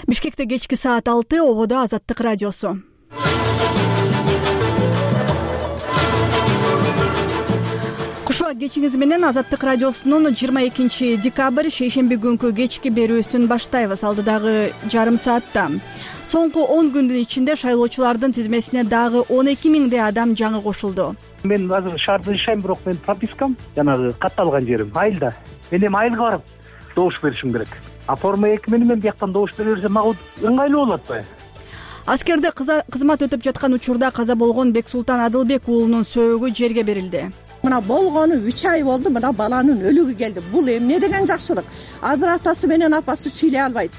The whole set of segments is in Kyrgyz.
Бишкекте кечки саат 6, ободо Азаттык радиосу. Кушуак кечиңиз менен Азаттык радиосунун 22 декабрь шейшемби күнкү кечки берүүсүн баштайбыз. Алдыдагы жарым саатта соңку 10 күндүн ичинде шайлоочулардын тизмесине дагы 12 миңдей адам жаңы кошулду. Мен азыр шаарда жашайм, бирок мен пропискам жанагы катталган жерим айылда. Мен эми айылга барып добуш беришим керек. А форма 2 менен бияктан добуш бере берсем мага ыңгайлуу болот атпайбы? Аскерде кызмат өтүп жаткан учурда каза болгон Бексултан Адылбек уулунун сөөгү жерге берилди. Мына болгону 3 ай болду, мына баланын өлүгү келди. Бул эмне деген жакшылык? Азыр атасы менен апасы сүйлөй албайт.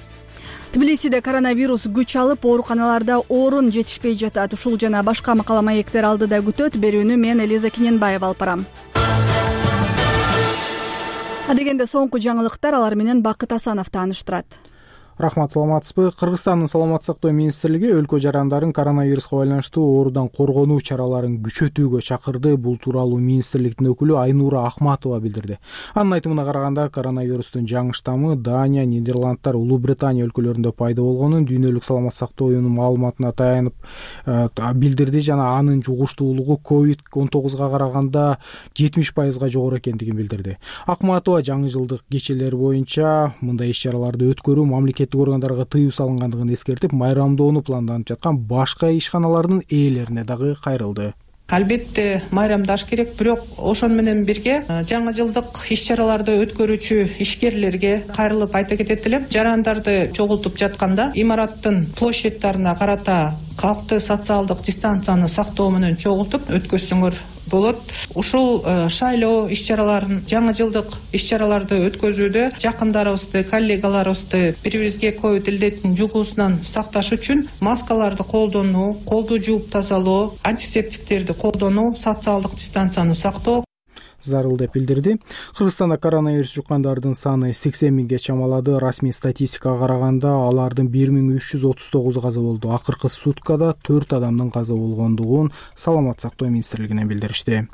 Тбилисиде коронавирус күч алып, ооруканаларда орун жетишпей жатат. Ушул жана башка макала маектер алдыда күтөт. Берүүнү мен Элиза Кененбаева алып барам. Адегенде соңку жаңылыктар, алар менен Бакыт Асанов тааныштырат. Рахмат, саламатсызбы? Кыргызстандын саламаттык сактоо министрлиги өлкө жарандарын коронавируска байланыштуу оорудан коргонуу чараларын күчөтүүгө чакырды. Бул тууралуу министрликтин өкүлү Айнура Ахматова билдирди. Анын айтымына караганда, коронавирустун жаңы штаммы Дания, Нидерландтар, Улуу Британия өлкөлөрүндө пайда болгонун дүйнөлүк саламаттык сактоо уюмунун маалыматына таянып билдирди жана анын жугуштуулугу COVID-19 караганда 70% жогору экендигин билдирди. Ахматова жаңы жылдык кечелер боюнча мындай иш-чараларды өткөрүү мамлекеттик органдарга тыюу салынгандыгын эскертип, майрамдоону планданып жаткан башка ишканалардын ээлерине дагы кайрылды. Албетте майрамдаш керек, бирок ошон менен бирге жаңы жылдык иш-чараларды өткөрүүчү ишкерлерге кайрылып айта кетет элем. Жарандарды чогултуп жатканда имараттын площадьтарына карата калкты социалдык дистанцияны сактоо менен чогултуп өткөзсөңөр болот. Ушул шайлоо иш-чараларын, жаңы жылдык иш-чараларды өткөзүүдө жакындарыбызды, коллегаларыбызды бири-бирибизге ковид илдетинин жугуусунан сакташ үчүн маскаларды колдонуу, колду жууп тазалоо, антисептиктерди колдонуу, социалдык дистанцияны сактоо зарыл деп билдирди. Кыргызстанда коронавирус жуккандардын саны 80 миңге чамалады. Расмий статистикага караганда алардын 1339 каза болду. Акыркы суткада 4 адамдын каза болгондугун саламаттык сактоо министрлигинен билдиришти.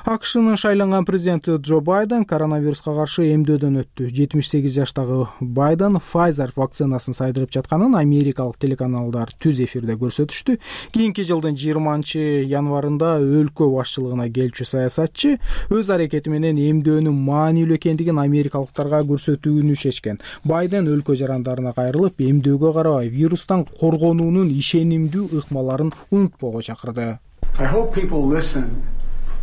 АКШнын шайланган президенти Джо Байден коронавируска каршы эмдөөдөн өттү. 78 жаштагы Байден Pfizer вакцинасын сайдырып жатканын америкалык телеканалдар түз эфирде көрсөтүштү. Кийинки жылдын 20 январында өлкө башчылыгына келчү саясатчы өз аракети менен эмдөөнүн маанилүү экендигин америкалыктарга көрсөтүүнү чечкен. Байден өлкө жарандарына кайрылып, эмдөөгө карабай вирустан коргонуунун ишенимдүү ыкмаларын унутпоого чакырды.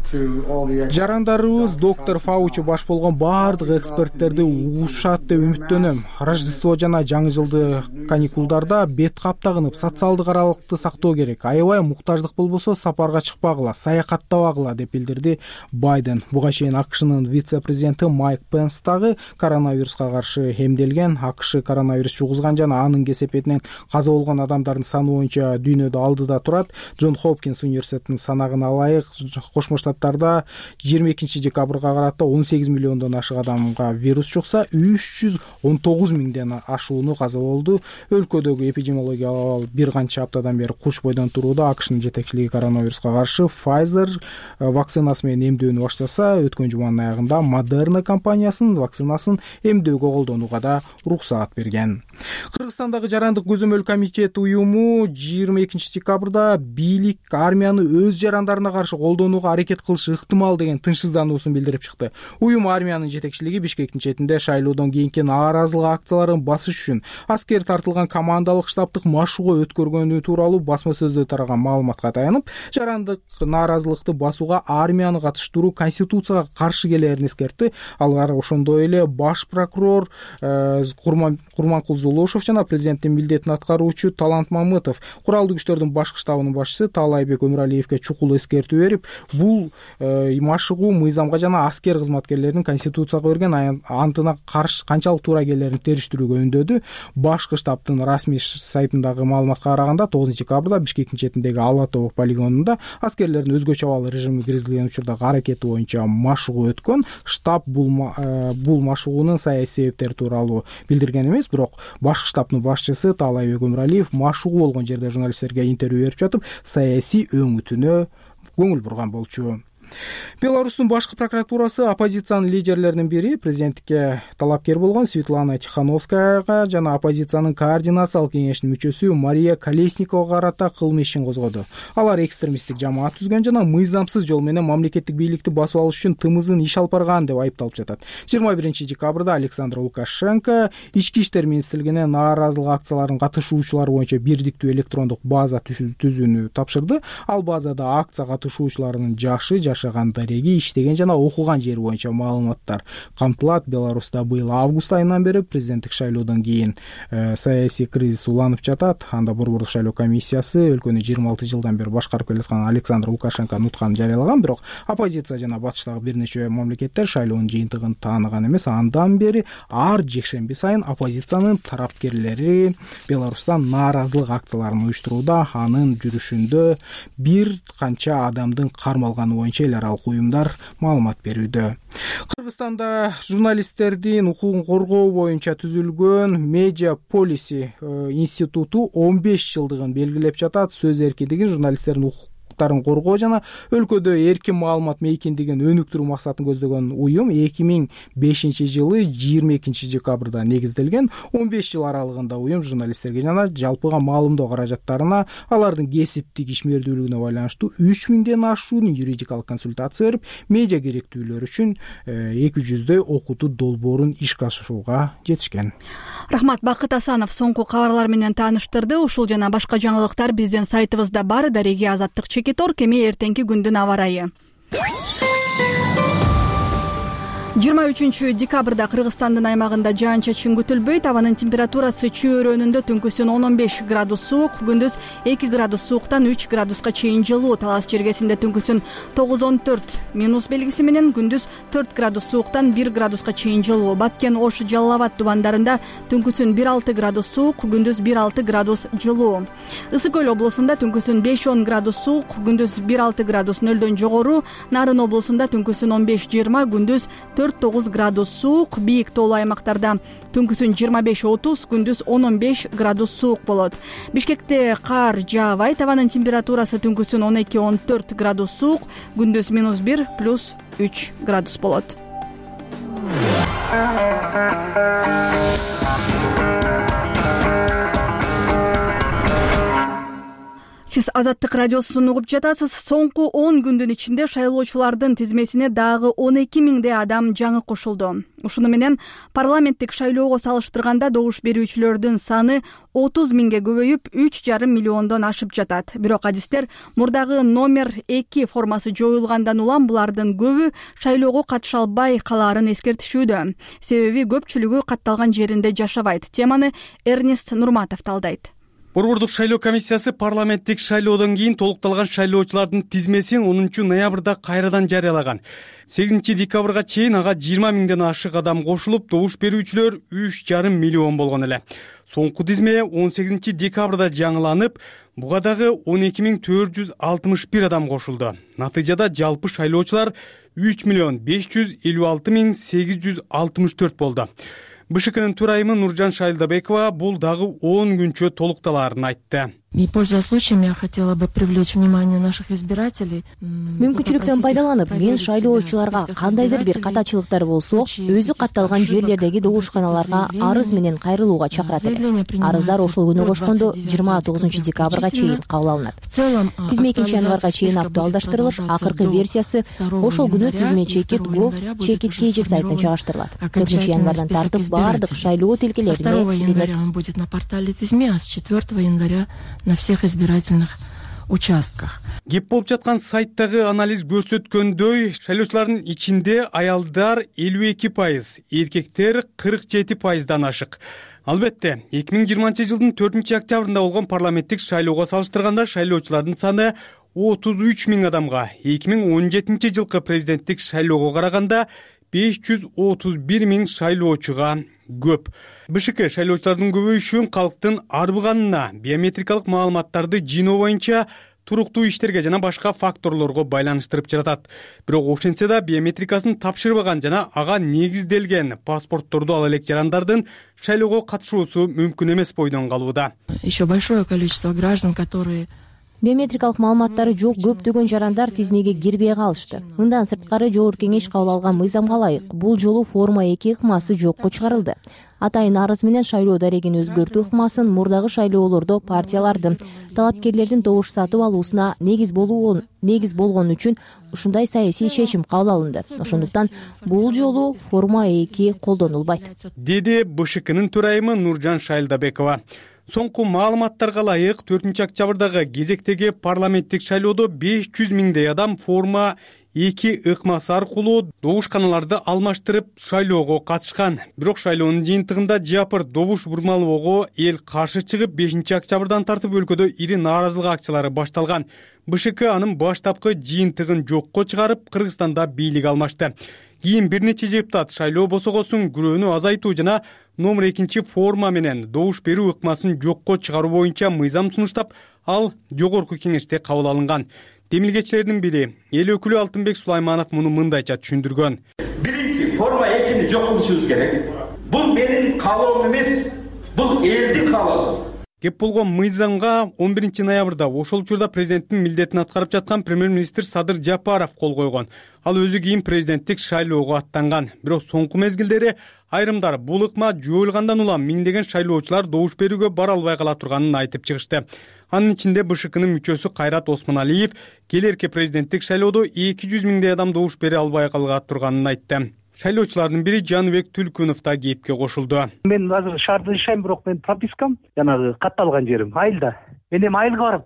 Жарандарыбыз доктор Фаучи баш болгон баардык эксперттерди угушат деп үмүттөнөм. Рождество жана жаңы жылды каникулдарда бет кап тагынып, социалдык аралыкты сактоо керек. Аябай муктаждык болбосо сапарга чыкпагыла, саякаттабагыла деп билдирди Байден. Буга чейин АКШнын вице-президенти Майк Пенс дагы коронавируска каршы эмделген. АКШ коронавирус жугузган жана анын кесепетинен каза болгон адамдардын саны боюнча дүйнөдө алдыда турат. Джон Хопкинс университетинин санагына ылайык Кошмо Штаттарда 22 декабрга карата 18 миллиондон ашык адамга вирус жукса, 319 миңден ашууну каза болду. Өлкөдөгү эпидемиологиялык абал бир канча аптадан бери куч бойдон турууда. АКШнын жетекчилиги коронавируска каршы Pfizer вакцинасы менен эмдөөнү баштаса, өткөн жуманын аягында Moderna компаниясынын вакцинасын эмдөөгө колдонууга да уруксаат берген. Кыргызстандагы жарандык көзөмөл комитети уюму 22 декабрда бийлик армияны өз жарандарына каршы колдонууга аракет кылышы ыктымал деген тынчсыздануусун билдирип чыкты. Уюм армиянын жетекчилиги Бишкектин четинде шайлоодон кийинки нааразылык акцияларын басыш үчүн аскер тартылган командалык штабтык машыгуу өткөргөнү тууралуу басма сөздө тараган маалыматка таянып, жарандык нааразылыкты басууга армияны катыштыруу конституцияга каршы келерин эскертти. Алар ошондой эле баш прокурор Курманкул Зулушев жана президенттин милдетин аткаруучу Талант Мамытов куралдуу күчтөрдүн башкы штабынын башчысы Таалайбек Өмүралиевге чукул эскертүү берип, бул машыгуу мыйзамга жана аскер кызматкерлеринин конституцияга берген антына каршы канчалык туура келерин териштирүүгө үндөдү. Башкы штабтын расмий сайтындагы маалыматка караганда 9 декабрда Бишкектин четиндеги Ала Тобок полигонунда аскерлердин өзгөчө абал режими киргизилген учурдагы аракети боюнча машыгуу өткөн. Штаб бул машыгуунун саясий себептери тууралуу билдирген эмес, бирок башкы штабтын башчысы Таалайбек Өмүралиев машыгуу болгон жерде журналисттерге интервью берип жатып, саясий өңүтүнө көңүл бурган болчу. Беларустун башкы прокуратурасы оппозициянын лидерлеринин бири президенттикке талапкер болгон Светлана Тихановскаяга жана оппозициянын координациялык кеңешинин мүчөсү Мария Колесниковага карата кылмыш ишин козгоду. Алар экстремисттик жамаат түзгөн жана мыйзамсыз жол менен мамлекеттик бийликти басып алыш үчүн тымызын иш алып барган деп айыпталып жатат. 21-декабрда Александр Лукашенко Ички иштер министрлигине нааразылык акцияларынын катышуучулары боюнча бирдиктүү электрондук база түзүүнү тапшырды. Ал базада акция катышуучуларынын жашы, жашаган дареги, иштеген жана окуган жери боюнча маалыматтар камтылат. Беларуста быйыл август айынан бери президенттик шайлоодон кийин саясий кризис уланып жатат. Анда Борбордук шайлоо комиссиясы өлкөнү 26 жылдан бери башкарып келаткан Александр Лукашенко утканын жарыялаган, бирок оппозиция жана батыштагы бир нече мамлекеттер шайлоонун жыйынтыгын тааныган эмес. Андан бери ар жекшемби сайын оппозициянын тарапкерлери Беларустан нааразылык акцияларын уюштурууда. Анын жүрүшүндө бир канча адамдын кармалганы боюнча эл аралык уюмдар маалымат берүүдө. Кыргызстанда журналисттердин укугун коргоо боюнча түзүлгөн Media Policy институту 15 жылдыгын белгилеп жатат. Сөз эркиндигин, журналисттердин укуктарын коргоо жана өлкөдө эркин маалымат мейкиндигин өнүктүрүү максатын көздөгөн уюм 2005 жылы 22 декабрда негизделген. 15 жыл аралыгында уюм журналисттерге жана жалпыга маалымдоо каражаттарына алардын кесиптик ишмердүүлүгүнө байланыштуу 3000ден ашуун юридикалык консультация берип, медиа керектүүлөр үчүн 200дөй окутуу долбоорун ишке ашырууга жетишкен. Рахмат, Бакыт Асанов соңку кабарлар менен тааныштырды. Ушул жана башка жаңылыктар биздин сайтыбызда бар. Дареги Азаттык Чекитор, кеме эртеңки күндүн аба ырайы. 23 декабрда Кыргызстандын аймагында жаан-чачын күтүлбөйт. Абанын температурасы чөйрөнүндө түнкүсүн 15 градус суук, күндүз 2 градус сууктан 3 градуска чейин жылуу. Талас жергесинде түнкүсүн 9-14 минус белгиси менен, күндүз 4 градус сууктан 1 градуска чейин жылуу. Баткен, Ош, Жалал Абад тубандарында түнкүсүн 1-6 градус суук, күндүз 1-6 градус жылуу. Ысык Көл облусунда түнкүсүн 5-10 градус суук, күндүз 1-6 градус нөлдөн жогору. Нарын облусунда түнкүсүн 15-20, күндүз 4-9 градус суук. Бийик тоолуу аймактарда түнкүсүн 25-30, күндүз 10-15 градус суук болот. Бишкекте кар жаабайт. Абанын температурасы түнкүсүн 12-14 градус суук, күндүз -1 + 3 градус болот. Сиз Азаттык радиосун угуп жатасыз. Соңку 10 күндүн ичинде шайлоочулардын тизмесине дагы 12 миңдей адам жаңы кошулду. Ушуну менен парламенттик шайлоого салыштырганда добуш берүүчүлөрдүн саны 30 миңге көбөйүп 3,5 миллиондон ашып жатат. Бирок адистер мурдагы номер 2 формасы жоюлгандан улам булардын көбү шайлоого катыша албай калаарын эскертишүүдө. Себеби көпчүлүгү катталган жеринде жашабайт. Теманы Эрнест Нурматов талдайт. Борбордук шайлоо комиссиясы парламенттик шайлоодон кийин толукталган шайлоочулардын тизмесин 10 ноябрда кайрадан жарыялаган. 8 декабрга чейин ага 20 миңден ашык адам кошулуп, добуш берүүчүлөр 3,5 миллион болгон эле. Соңку тизме 18 декабрда жаңыланып, буга дагы 12.461 адам кошулду. Натыйжада жалпы шайлоочулар 3.556.864 болду. БШКнын төрайымы Нуржан Шайлдабекова бул дагы 10 күнчө толукталаарын айтты. И, пользуясь случаем, я хотела бы привлечь внимание наших избирателей. Мүмкүнчүлүктөн пайдаланып, мен шайлоочуларга кандайдыр бир катачылыктар болсо, өзү катталган жерлердеги добушканаларга арыз менен кайрылууга чакырат элем. Арыздар ошол күнү кошкондо 29 декабрга чейин кабыл алынат. Тизме 2 январга чейин актуалдаштырылып, акыркы версиясы ошол күнү тизме chekit.gov/chekit.kg сайтына чыгаштырылат. 4 январдан тартып бардык шайлоо тилкелерине 2 января он будет на портале тизме, а с 4 января на всех избирательных участках. Кеп болуп жаткан сайттагы анализ көрсөткөндөй, шайлоочулардын ичинде аялдар 52%, эркектер 47%дан ашык. Албетте, 2020 жылдын 4 октябрында болгон парламенттик шайлоого салыштырганда шайлоочулардын саны 33 миң адамга, 2017 жылкы президенттик шайлоого караганда 531 миң шайлоочуга көп. БШК шайлоочулардын көбөйүшүн калктын арбыганына, биометрикалык маалыматтарды жыйноо боюнча туруктуу иштерге жана башка факторлорго байланыштырып жатат. Бирок ошентсе да биометрикасын тапшырбаган жана ага негизделген паспортторду ала элек жарандардын шайлоого катышуусу мүмкүн эмес бойдон калууда. Еще большое количество граждан, которые Биометрикалык маалыматтары жок көптөгөн жарандар тизмеге кирбей калышты. Мындан сырткары Жогорку Кеңеш кабыл алган мыйзамга ылайык бул жолу форма 2 ыкмасы жокко чыгарылды. Атайын арыз менен шайлоо дарегин өзгөртүү ыкмасын мурдагы шайлоолордо партиялардын талапкерлердин добуш сатып алуусуна негиз болгон үчүн ушундай саясий чечим кабыл алынды. Ошондуктан бул жолу форма 2 колдонулбайт, деди БШКнын төрайымы Нуржан Шайлдабекова. Соңку маалыматтарга ылайык 4-октябрдагы кезектеги парламенттик шайлоодо 500 миңдей адам форма 2 ыкмасы аркылуу добушканаларды алмаштырып шайлоого катышкан. Бирок шайлоонун жыйынтыгында жапыр добуш бурмалоого эл каршы чыгып 5-октябрдан тартып өлкөдө ири нааразылык акциялары башталган. БШК анын баштапкы жыйынтыгын жокко чыгарып Кыргызстанда бийлик алмашты. Кийин бир нече депутат шайлоо босогосун күрөөнү азайтуу жана номер 2 форма менен добуш берүү ыкмасын жокко чыгаруу боюнча мыйзам сунуштап, ал Жогорку Кеңеште кабыл алынган. Демилгечилердин бири эл өкүлү Алтынбек Сулайманов муну мындайча түшүндүргөн. Биринчи форма 2-ни жок кылышыбыз керек. Бул менин каалоом эмес, бул элдин каалоосу. Кеп болгон мыйзамга 11 ноябрда ошол учурда президенттин милдетин аткарып жаткан премьер-министр Садыр Жапаров кол койгон. Ал өзү кийин президенттик шайлоого аттанган. Бирок соңку мезгилдери айрымдар бул ыкма жоюлгандан улам миңдеген шайлоочулар добуш берүүгө бара албай кала турганын айтып чыгышты. Анын ичинде БШКнын мүчөсү Кайрат Осмоналиев келерки президенттик шайлоодо 200 миңдей адам добуш бере албай кала турганын айтты. Шайлоочулардын бири Жаныбек Түлкүнов да кепке кошулду. Мен азыр шаарда жашайм, бирок мен пропискам жанагы катталган жерим айылда. Мен эми айылга барып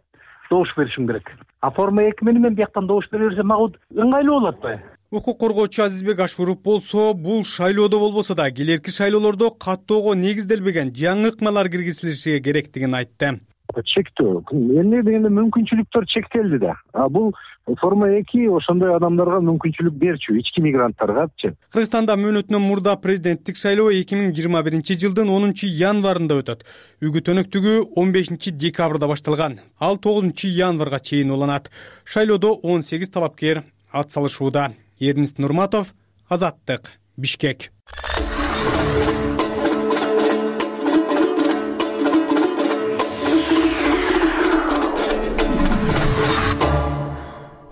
добуш беришим керек. А форма 2 менен мен бияктан добуш бере берсем мага ыңгайлуу болот атпайбы? Укук коргоочу Азизбек Ашуров болсо, бул шайлоодо болбосо да келерки шайлоолордо каттоого негизделбеген жаңы ыкмалар киргизилиши керектигин айтты. Чектөө эмне дегенде мүмкүнчүлүктөр чектелди да. А бул форма 2 ошондой адамдарга мүмкүнчүлүк берчү, ички мигранттаргачы. Кыргызстанда мөөнөтүнөн мурда президенттик шайлоо 2021 жылдын 10 январында өтөт. Үгүт өнөктүгү 15 декабрда башталган. Ал 9 январга чейин уланат. Шайлоодо 18 талапкер ат салышууда. Эрнест Нурматов, Азаттык, Бишкек.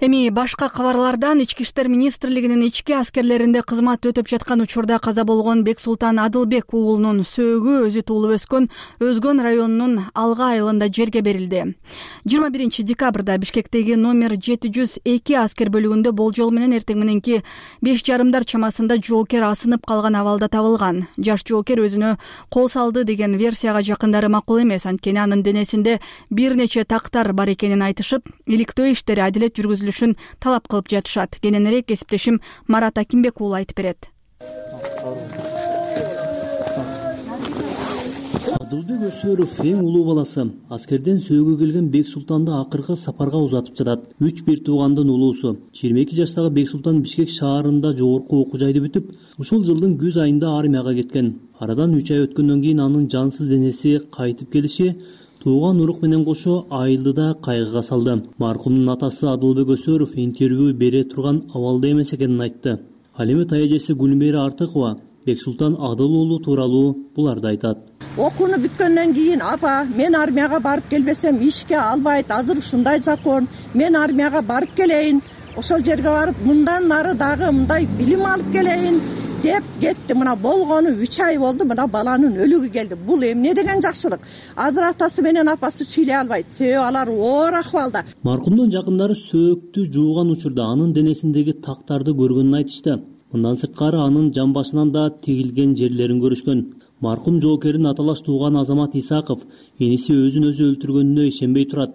Эми башка кабарлардан Ички иштер министрлигинин ички аскерлеринде кызмат өтөп жаткан учурда каза болгон Бексултан Адылбек уулунун сөөгү өзү туулуп өскөн Өзгөн районунун Алга айылында жерге берилди. 21 декабрда Бишкектеги номер 702 аскер бөлүгүндө болжол менен эртең мененки 5:30 чамасында жоокер асынып калган абалда табылган. Жаш жоокер өзүнө кол салды деген версияга жакындары макул эмес, анткени анын денесинде бир нече тактар бар экенин айтышып, иликтөө иштери адилет жүргүзүлүшүн талап кылып жатышат. Кененирээк кесиптешим Марат Акимбек уулу айтып берет. Адылбек Өсөров эң улуу баласы. Аскерден сөөгө келген Бексултанды акыркы сапарга узатып жатат. 3 бир туугандын улуусу. 22 жаштагы Бексултан Бишкек шаарында жогорку окуу жайды бүтүп, ушул жылдын күз айында армияга кеткен. Арадан 3 ай өткөндөн кийин анын жансыз денеси кайтып келиши тууган урук менен кошо айылды кайгыга салды. Маркумдун атасы Адылбек Өсөров интервью бере турган абалда эмес экенин айтты. Ал эми таяжеси Гүлмери Артыкова Бексултан Адыл уулу тууралуу буларды айтат. Окууну бүткөндөн кийин апа, мен армияга барып келбесем ишке албайт, азыр ушундай закон, мен армияга барып келейин, ошол жерге барып мындан нары дагы мындай билим алып келейин деп кетти. Мына болгону 3 ай болду, мына баланын өлүгү келди. Бул эмне деген жакшылык? Азыр атасы менен апасы сүйлөй албайт, себеби алар оор акыбалда. Маркумдун жакындары сөөктү жууган учурда анын денесиндеги тактарды көргөнүн айтышты. Мындан сырткары анын жамбашынан да тигилген жерлерин көрүшкөн. Маркум жоокердин аталаш тууганы Азамат Исаков эниси өзүн өзү өлтүргөнүнө ишенбей турат.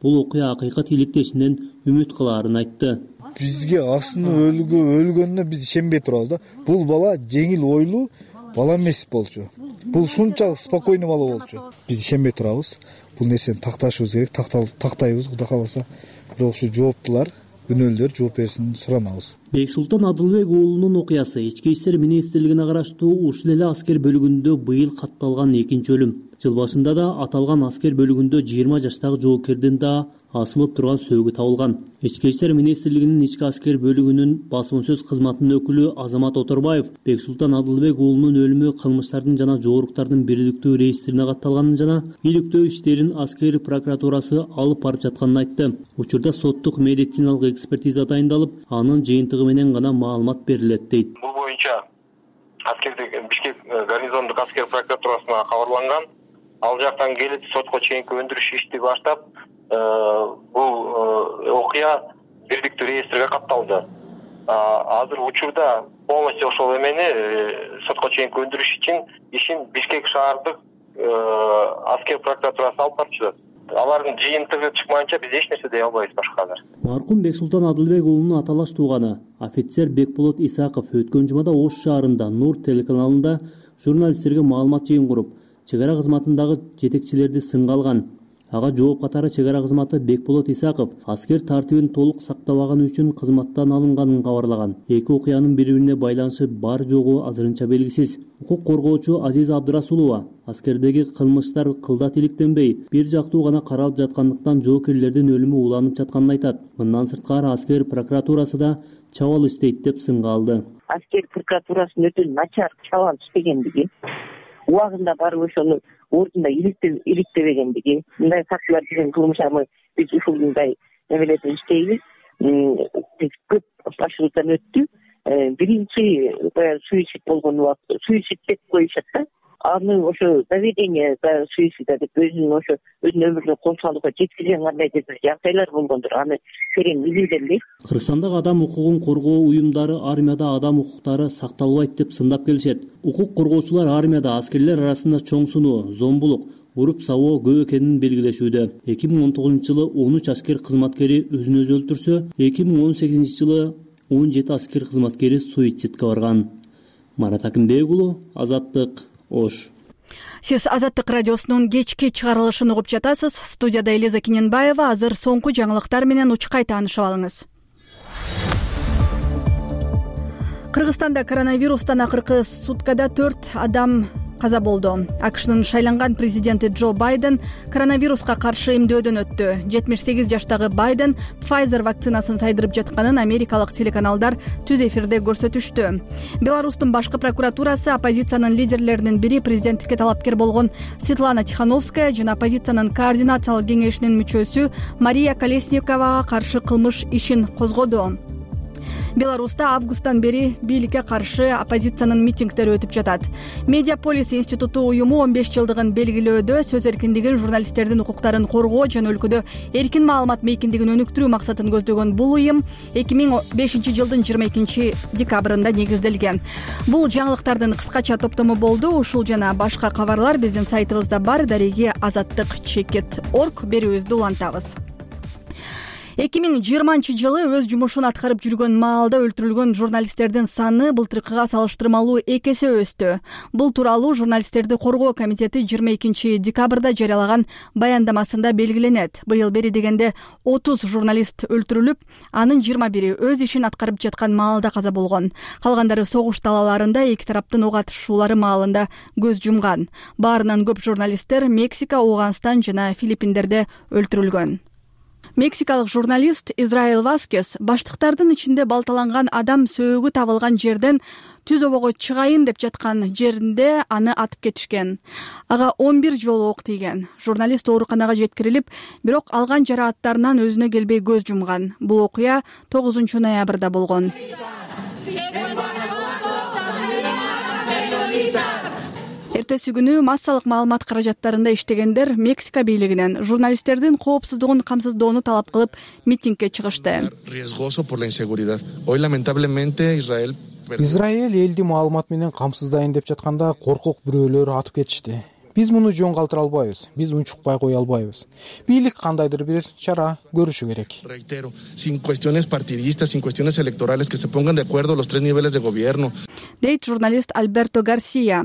Бул окуя акыйкат иликтешинен үмүт кылаарын айтты. Бизге Асынын өлгөнүнө биз ишенбей турабыз да. Бул бала жеңил ойлуу бала эмес болчу. Бул ушунчалык спокойный бала болчу. Биз ишенбей турабыз. Бул нерсени такташыбыз керек, тактайбыз Кудай кааласа. Бирок ушу жооптулар күнөөлөр жооп берсин суранабыз. Бексултан Адылбек уулунун окуясы Ички иштер министрлигине караштуу ушул эле аскер бөлүгүндө быйыл катталган экинчи өлүм. Жыл башында да аталган аскер бөлүгүндө 20 жаштагы жоокердин да асылып турган сөөгү табылган. Ички иштер министрлигинин ички аскер бөлүгүнүн басма сөз кызматынын өкүлү Азамат Оторбаев Бексултан Адылбек уулунун өлүмү кылмыштардын жана жоруктардын бирликтүү реестрине катталганын жана иликтөө иштерин аскер прокуратурасы алып барып жатканын айтты. Учурда соттук медициналык экспертиза дайындалып, анын жыйынтыгы менен гана маалымат берилет дейт. Бул боюнча Бишкек гарнизондук аскер прокуратурасына кабарланган. Ал жактан келип сотко чейинки өндүрүш ишти баштап, бул окуя бирликтүү реестриге катталды. Азыр учурда полностью ошол эмени сотко чейинки өндүрүш ишин Бишкек шаардык аскер прокуратурасы алып барып жатат. Алардын жыйынтыгы чыкмайынча биз эч нерсе дей албайбыз башкалар. Маркум Бексултан Адылбек уулунун аталаш тууганы офицер Бекболот Исаков өткөн жумада Ош шаарында Нур телеканалында журналисттерге маалымат жыйын куруп, чек ара кызматындагы жетекчилерди сынга алган. Ага жооп катары чек ара кызматы Бекболот Исаков аскер тартибин толук сактабаганы үчүн кызматтан алынганын кабарлаган. Эки окуянын бири-бирине байланышы бар жогу азырынча белгисиз. Укук коргоочу Азиза Абдырасулова аскердеги кылмыштар кылдат иликтенбей, бир жактуу гана каралып жаткандыктан жоокерлердин өлүмү уланып жатканын айтат. Мындан сырткары аскер прокуратурасы да чабал иштейт деп сынга алды. Аскер прокуратурасынын өтө начар чабал иштегендиги, убагында барып ошону ордунда иликтебегендиги, мындай фактылар деген кылмыштарды биз ушундай эмелерди иштейбиз. Көп башыбыздан өттү. Биринчи суицид болгон убакыт, суицид деп коюшат да. Аны ошо доведение за суицида деп өзүнүн өмүрүнө кол салууга жеткизген кандайдыр бир жагдайлар болгондур. Аны терең изилденбейт. Кыргызстандагы адам укугун коргоо уюмдары армияда адам укуктары сакталбайт деп сындап келишет. Укук коргоочулар армияда аскерлер арасында чоң суноо, зомбулук, уруп сабоо көп экенин белгилешүүдө. 2019-жылы 13 аскер кызматкери өзүн өзү өлтүрсө, 2018-жылы 17 аскер кызматкери суицидке барган. Марат Акимбек уулу, Азаттык, Ош. Сиз Азаттык радиосунун кечки чыгарылышын угуп жатасыз. Студияда Элиза Киненбаева. Азыр соңку жаңылыктар менен учкай таанышып алыңыз. Кыргызстанда коронавирустан акыркы суткада 4 адам каза болду. АКШнын шайланган президенти Джо Байден коронавируска каршы эмдөөдөн өттү. 78 жаштагы Байден Pfizer вакцинасын сайдырып жатканын америкалык телеканалдар түз эфирде көрсөтүштү. Беларустун башкы прокуратурасы оппозициянын лидерлеринин бири президенттикке талапкер болгон Светлана Тихановская жана оппозициянын координациялык кеңешинин мүчөсү Мария Колесниковага каршы кылмыш ишин козгоду. Беларуста августтан бери бийликке каршы оппозициянын митингдери өтүп жатат. Медиаполис институту уюму 15 жылдыгын белгилөөдө сөз эркиндигин, журналисттердин укуктарын коргоо жана өлкөдө эркин маалымат мейкиндигин өнүктүрүү максатын көздөгөн бул уюм 2005 жылдын 22 декабрында негизделген. Бул жаңылыктардын кыскача топтому болду. Ушул жана башка кабарлар биздин сайтыбызда бар. Дареги azattik.org берүүбүздү улантабыз. 2020 жылы өз жумушун аткарып жүргөн маалда өлтүрүлгөн журналисттердин саны былтыркыга салыштырмалуу 2 эсе өстү. Бул тууралуу журналисттерди коргоо комитети 22 декабрда жарыялаган баяндамасында белгиленет. Быйыл бери дегенде 30 журналист өлтүрүлүп, анын 21 өз ишин аткарып жаткан маалда каза болгон. Калгандары согуш талааларында эки тараптын ок атышуулары маалында көз жумган. Баарынан көп журналисттер Мексика, Ауганстан жана Филиппиндерде өлтүрүлгөн. Мексикалык журналист Израэль Васкес баштыктардын ичинде балталанган адам сөөгү табылган жерден түз обого чыгайын деп жаткан жеринде аны атып кетишкен. Ага 11 жолу ок тийген. Журналист ооруканага жеткирилип, бирок алган жарааттарынан өзүнө келбей көз жумган. Бул окуя 9 ноябрда болгон. Эртеси күнү массалык маалымат каражаттарында иштегендер Мексика бийлигинен журналисттердин коопсуздугун камсыздоону талап кылып митингге чыгышты. Израиль элди маалымат менен камсыздайын деп жатканда коркок бирөөлөр атып кетишти. Биз муну жөн калтыра албайбыз. Биз унчукпай кое албайбыз. Бийлик кандайдыр бир чара көрүшү керек. Sin cuestiones partidistas, sin cuestiones electorales, que se pongan de acuerdo los tres niveles de gobierno. дейт журналист Альберто Гарсия.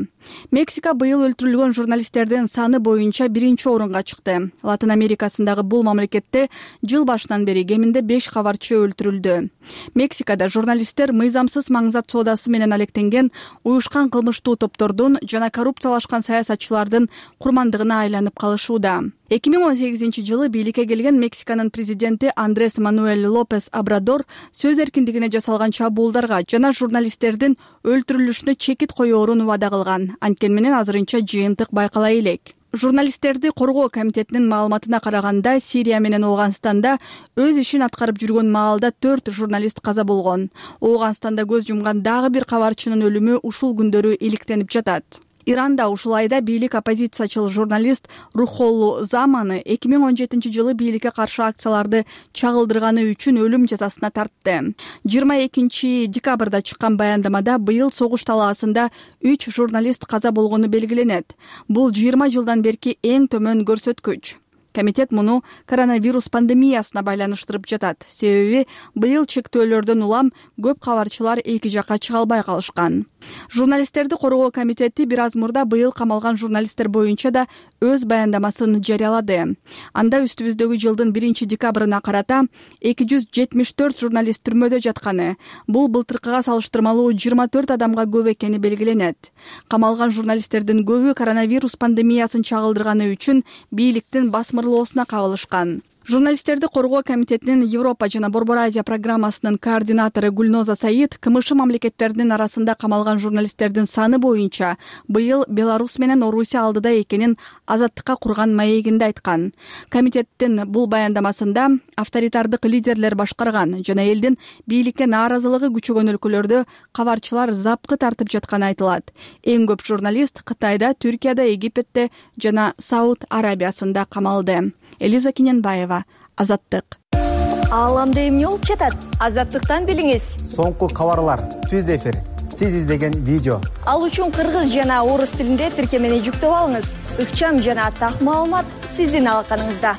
Мексика быйыл өлтүрүлгөн журналисттердин саны боюнча 1-орунга чыкты. Латын Америкасындагы бул мамлекетте жыл башынан бери кеминде 5 кабарчы өлтүрүлдү. Мексикада журналисттер мыйзамсыз маңзат соодасы менен алектенген уюшкан кылмыштуу топтордун жана коррупциялашкан саясатчылардын курмандыгына айланып калышууда. 2018 жылы бийликке келген Мексиканын президенти Андрес Мануэль Лопес Обрадор сөз эркиндигине жасалган чабуулдарга жана журналисттердин өлтүрүлүшүнө чекит коёорун убада кылган. Анткени менен азырынча жыйынтык байкала элек. Журналисттерди коргоо комитетинин маалыматына караганда, Сирия менен Ооганстанда өз ишин аткарып жүргөн маалда 4 журналист каза болгон. Ооганстанда көз жумган дагы бир кабарчынын өлүмү ушул күндөрү иликтенип жатат. Иранда ушул айда бийлик оппозициячыл журналист Рухоллу Заманы 2017 жылы бийликке каршы акцияларды чагылдырганы үчүн өлүм жазасына тартты. 22 декабрда чыккан баяндамада быйыл согуш талаасында 3 журналист каза болгону белгиленет. Бул 20 жылдан берки эң төмөн көрсөткүч. Комитет муну коронавирус пандемиясына байланыштырып жатат. Себеби быйыл чектөөлөрдөн улам көп кабарчылар эки жакка чыга албай калышкан. Журналисттерди коргоо комитети бир аз мурда быйыл камалган журналисттер боюнча да өз баяндамасын жарыялады. Анда үстүбүздөгү жылдын 1-декабрына карата 274 журналист түрмөдө жатканы, бул былтыркыга салыштырмалуу 24 адамга көп экени белгиленет. Камалган журналисттердин көбү коронавирус пандемиясын чагылдырганы үчүн бийликтин басмырлоосуна кабылышкан. Журналисттерди коргоо комитетинин Европа жана Борбор Азия программасынын координатору Гүлноза Саид КМШ мамлекеттеринин арасында камалган журналисттердин саны боюнча быйыл Беларусь менен Орусия алдыда экенин Азаттыкка курган маегинде айткан. Комитеттин бул баяндамасында авторитардык лидерлер башкарган жана элдин бийликке нааразылыгы күчөгөн өлкөлөрдө кабарчылар запкы тартып жатканы айтылат. Эң көп журналист Кытайда, Түркияда, Египетте жана Сауд Арабиясында камалды. Элиза Киненбаева, Азаттык. Ааламда эмне болуп жатат? Азаттыктан билиңиз. Соңку кабарлар, түз эфир, сиз издеген видео. Ал үчүн кыргыз жана орус тилинде тиркемени жүктөп алыңыз. Ыкчам жана так маалымат сиздин алаканыңызда.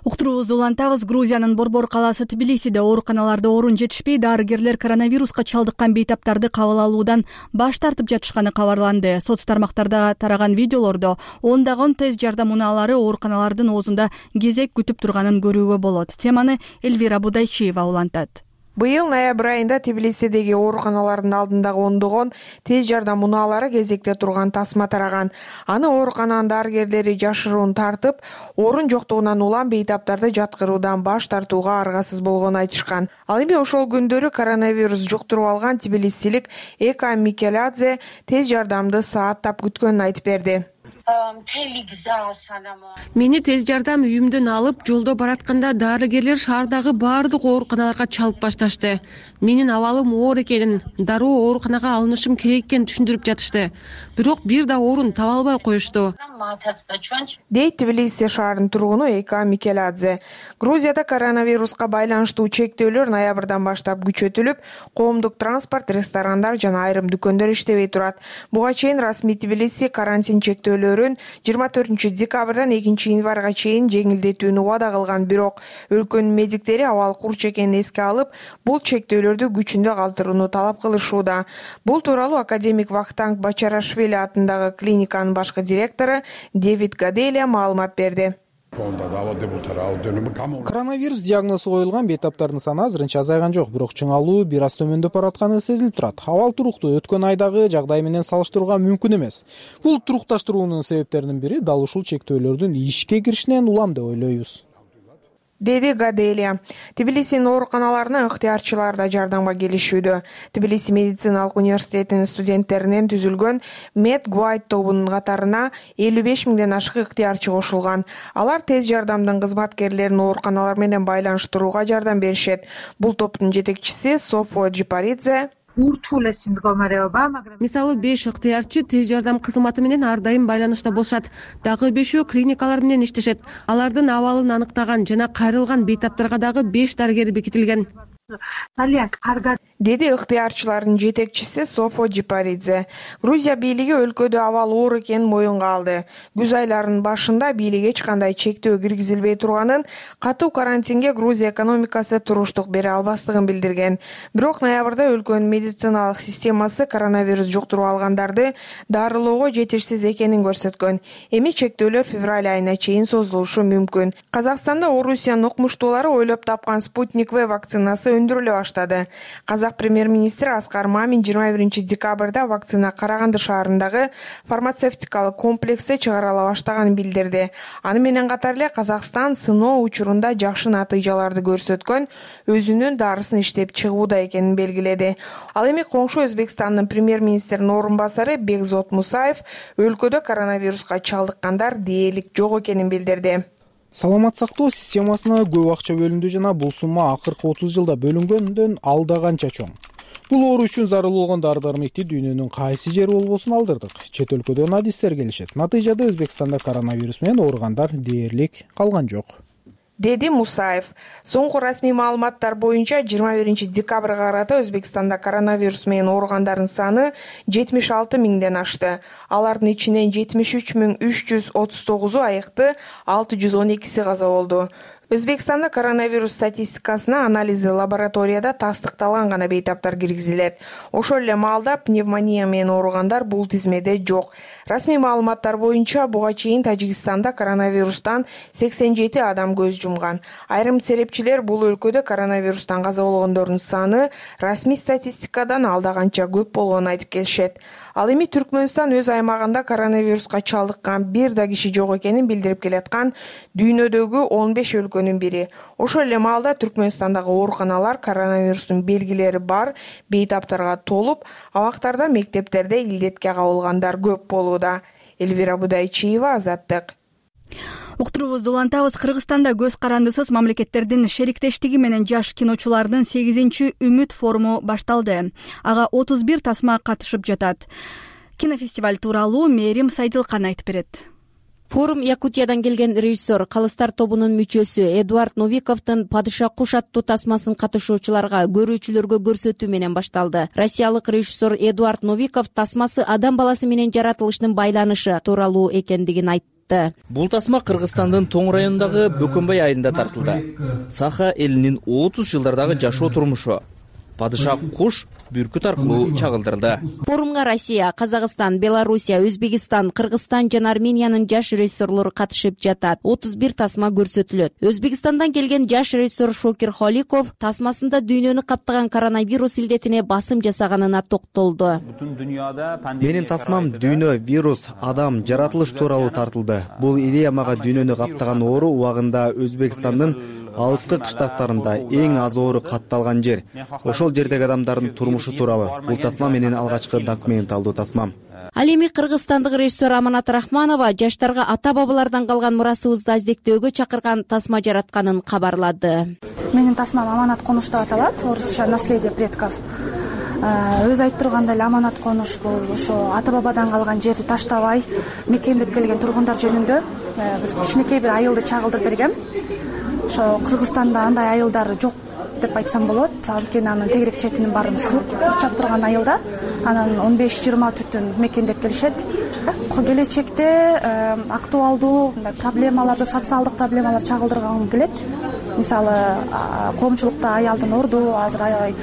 Уктуруубузду улантабыз. Грузиянын Борбор калаасы Тбилисиде ооруканаларда орун жетишпей, дарыгерлер коронавируска чалдыккан бейтаптарды кабыл алуудан баш тартып жатышканы кабарланды. Соц тармактарда тараган видеолордо ондогон тез жардам унаалары ооруканалардын оозунда кезек күтүп турганын көрүүгө болот. Теманы Эльвира Будайчиева улантат. Быйыл ноябрь айында Тбилисидеги ооруканалардын алдындагы ондогон тез жардам унаалары кезекте турган тасма тараган. Аны оорукананын дарыгерлери жашыруун тартып, орун жоктугунан улам бейтаптарды жаткыруудан баш тартууга аргасыз болгонун айтышкан. Ал эми ошол күндөрү коронавирус жуктуруп алган тбилисилик Эка Микеладзе тез жардамды сааттап күткөнүн айтып берди. Мени тез жардам үйүмдөн алып, жолдо баратканда дарыгерлер шаардагы баардык ооруканаларга чалып башташты. Менин абалым оор экенин, дароо ооруканага алынышым керек экенин түшүндүрүп жатышты. Бирок бир да орун таба албай коюшту. Дейт Тбилиси шаарынын тургуну Эка Микеладзе. Грузияда коронавируска байланыштуу чектөөлөр ноябрдан баштап күчөтүлүп, коомдук транспорт, ресторандар жана айрым дүкөндөр иштебей турат. Буга чейин расмий Тбилиси карантин чектөөлөрүн 24 декабрдан 2 январга чейин жеңилдетүүнү убада кылган, бирок өлкөнүн медиктери абал курч экенин эске алып, бул чектөөлөрдү күчүндө калтырууну талап кылышууда. Бул тууралуу академик Вахтанг Бачарашвили атындагы клиниканын башкы директору Дэвид Гаделия маалымат берди. Коронавирус диагнозу коюлган бейтаптардын саны азырынча азайган жок, бирок чыңалуу бир аз төмөндөп баратканы сезилип турат. Абал туруктуу, өткөн айдагы жагдай менен салыштырууга мүмкүн эмес. Бул турукташтыруунун себептеринин бири дал ушул чектөөлөрдүн ишке киришинен улам деп ойлойбуз, деди Гаделия. Тбилисинин ооруканаларына ыктыярчылар да жардамга келишүүдө. Тбилиси медициналык университетинин студенттеринен түзүлгөн Медгуайт тобунун катарына 55 миңден ашык ыктыярчы кошулган. Алар тез жардамдын кызматкерлерин ооруканалар менен байланыштырууга жардам беришет. Бул топтун жетекчиси Софо Джипаридзе Мисалы 5 ыктыярчы тез жардам кызматы менен ар дайым байланышта болушат. Дагы 5 клиникалар менен иштешет. Алардын абалын аныктаган жана кайрылган бейтаптарга дагы 5 дарыгер бекитилген. деди ыктыярчылардын жетекчиси Софо Джипаридзе. Грузия бийлиги өлкөдө абал оор экенин моюнга алды. Күз айларынын башында бийлик эч кандай чектөө киргизилбей турганын, катуу карантинге Грузия экономикасы туруштук бере албастыгын билдирген. Бирок ноябрда өлкөнүн медициналык системасы коронавирус жуктуруп алгандарды дарылоого жетишсиз экенин көрсөткөн. Эми чектөөлөр февраль айына чейин созулушу мүмкүн. Казакстанда Орусиянын окумуштуулары ойлоп тапкан Спутник В вакцинасы өндүрүлө баштады. Казак премьер-министри Аскар Мамин 21 декабрда вакцина Караганды шаарындагы фармацевтикалык комплексте чыгарыла баштаганын билдирди. Аны менен катар эле Казакстан сыноо учурунда жакшы натыйжаларды көрсөткөн өзүнүн дарысын иштеп чыгууда экенин белгиледи. Ал эми коңшу Өзбекстандын премьер-министринин орун басары Бекзот Мусаев өлкөдө коронавируска чалдыккандар дээрлик жок экенин билдирди. Саламат сактоо системасына көп акча бөлүндү жана бул сумма акыркы 30 жылда бөлүнгөндөн алда канча чоң. Бул оору үчүн зарыл болгон дары-дармекти дүйнөнүн кайсы жери болбосун алдырдык. Чет өлкөдөн адистер келишет. Натыйжада Өзбекстанда коронавирус менен ооругандар дээрлик калган жок, деди Мусаев. Соңку расмий маалыматтар боюнча 21 декабрга карата Өзбекстанда коронавирус менен ооругандардын саны 76 миңден ашты. Алардын ичинен 73.339 айыкты, 612 каза болду. Өзбекстанда коронавирус статистикасына анализи лабораторияда тастыкталган гана бейтаптар киргизилет. Ошол эле маалда пневмония менен ооругандар бул тизмеде жок. Расмий маалыматтар боюнча буга чейин Тажикстанда коронавирустан 87 адам көз жумган. Айрым серепчилер бул өлкөдө коронавирустан каза болгондордун саны расмий статистикадан алда канча көп болгонун айтып келишет. Ал эми Түркмөнстан өз аймагында коронавируска чалдыккан бир да киши жок экенин билдирип келаткан дүйнөдөгү 15 өлкөнүн бири. Ошол эле маалда Түркмөнстандагы ооруканалар коронавирустун белгилери бар бейтаптарга толуп, абактарда мектептерде илдетке кабылгандар көп болууда. Элвира Будайчиева, Азаттык. Уктуруубузду улантабыз. Кыргызстанда көз карандысыз мамлекеттердин шериктештиги менен жаш киночулардын 8-Үмүт форуму башталды. Ага 31 тасма катышып жатат. Кинофестиваль тууралуу Мээрим Сайдылкан айтып берет. Форум Якутиядан келген режиссер, Калыстар тобунун мүчөсү Эдуард Новиковдун Падыша куш аттуу тасмасын катышуучуларга, көрүүчүлөргө көрсөтүү менен башталды. Россиялык режиссер Эдуард Новиков тасмасы адам баласы менен жаратылыштын байланышы тууралуу экендигин айтты. Бул тасма Кыргызстандын Тоң районундагы Бөкөнбай айылында тартылды. Саха элинин 30 жылдардагы жашоо турмушу. Падыша куш бүркүт аркылуу чагылдырылды. Форумга Россия, Казакстан, Белоруссия, Өзбекстан, Кыргызстан жана Армениянын жаш режиссерлору катышып жатат. 31 тасма көрсөтүлөт. Өзбекстандан келген жаш режиссер Шокир Холиков тасмасында дүйнөнү каптаган коронавирус илдетине басым жасаганына токтолду. Менин тасмам дүйнө, вирус, адам, жаратылыш тууралуу тартылды. Бул идея мага дүйнөнү каптаган оору убагында Өзбекстандын алыскы кыштактарында эң аз оору катталган жер. Ошол жердеги адамдардын турмушу тууралуу. Бул тасма менин алгачкы документалдуу тасмам. Ал эми кыргызстандык режиссер Аманат Рахманова жаштарга ата-бабалардан калган мурасыбызды издектөөгө чакырган тасма жаратканын кабарлады. Менин тасмам Аманат конуш деп аталат, орусча наследие предков. Өзү айтып тургандай эле аманат конуш бул ошо ата-бабадан калган жерди таштабай мекендеп келген тургундар жөнүндө кичинекей бир айылды чагылдырып бергем. Ошо Кыргызстанда андай айылдар жок деп айтсам болот. Анткени анын тегерек четинин баарын суу курчап турган айылда анан 15-20 түтүн мекендеп келишет. Келечекте актуалдуу проблемаларды, социалдык проблемалар чагылдыргым келет. Мисалы, коомчулукта аялдын орду азыр аябай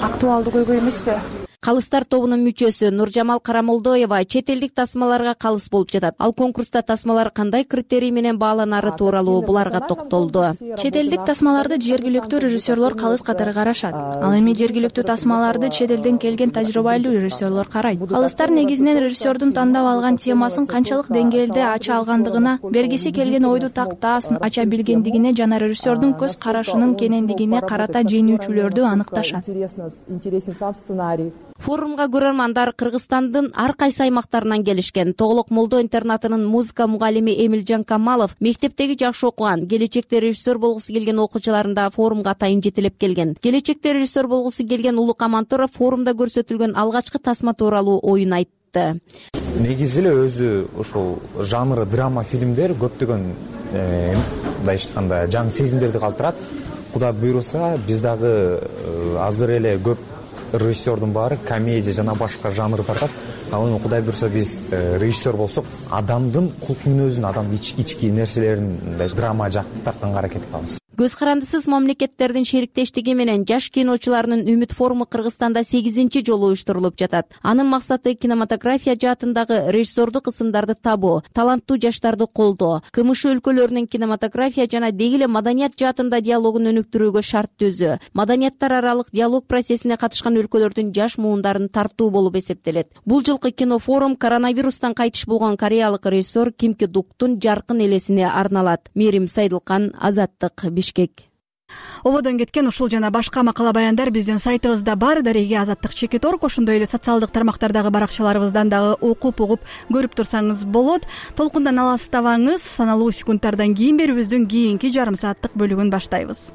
актуалдуу көйгөй эмеспи? Калыстар тобунун мүчөсү Нуржамал Карамолдоева чет элдик тасмаларга калыс болуп жатат. Ал конкурста тасмалар кандай критерий менен бааланары тууралуу буларга токтолду. Чет элдик тасмаларды жергиликтүү режиссерлор калыс катары карашат. Ал эми жергиликтүү тасмаларды чет элден келген тажрыйбалуу режиссерлор карайт. Калыстар негизинен режиссердун тандап алган темасын канчалык деңгээлде ача алгандыгына, бергиси келген ойду тактаасын ача билгендигине жана режиссердун көз карашынын кенендигине карата жеңүүчүлөрдү аныкташат. Форумга көрөрмандар Кыргызстандын ар кайсы аймактарынан келишкен. Тоголок Молдо интернатынын музыка мугалими Эмилжан Камалов мектептеги жакшы окуган, келечекте режиссер болгусу келген окуучуларында форумга атайын жетелеп келген. Келечекте режиссер болгусу келген Улук Амантуров форумда көрсөтүлгөн алгачкы тасма тууралуу оюн айтты. Негизи эле өзү ошол жанры драма фильмдер көптөгөн мындай айтканда жан сезимдерди калтырат. Кудай буйруса, биз дагы азыр эле көп режиссердун баары комедия жана башка жанр тартат. Ал эми Кудай буйрса биз режиссер болсок, адамдын кулк мүнөзүн, адамдын ички нерселерин драма жакты тартканга аракет кылабыз. Көз карандысыз мамлекеттердин шериктештиги менен жаш киночулардын Үмүт форуму Кыргызстанда 8-чи жолу уюштурулуп жатат. Анын максаты кинематография жаатындагы режиссердук ысымдарды табуу, таланттуу жаштарды колдоо, КМШ өлкөлөрүнүн кинематография жана деги эле маданият жаатында диалогун өнүктүрүүгө шарт түзүү, маданияттар аралык диалог процессине катышкан өлкөлөрдүн жаш муундарын тартуу болуп эсептелет. Бул жылкы кинофорум коронавирустан кайтыш болгон кореялык режиссер Ким Ки Дуктун жаркын элесине арналат. Мерим Сайдылкан, Азаттык, Бишкек. Ободон кеткен ушул жана башка макала баяндар биздин сайтыбызда бар. Дареге Азаттык.org, ошондой эле социалдык тармактардагы баракчаларыбыздан дагы окуп угуп көрүп турсаңыз болот. Толкундан алыстабаңыз. Саналуу секундтардан кийин берүүбүздүн кийинки жарым сааттык бөлүгүн баштайбыз.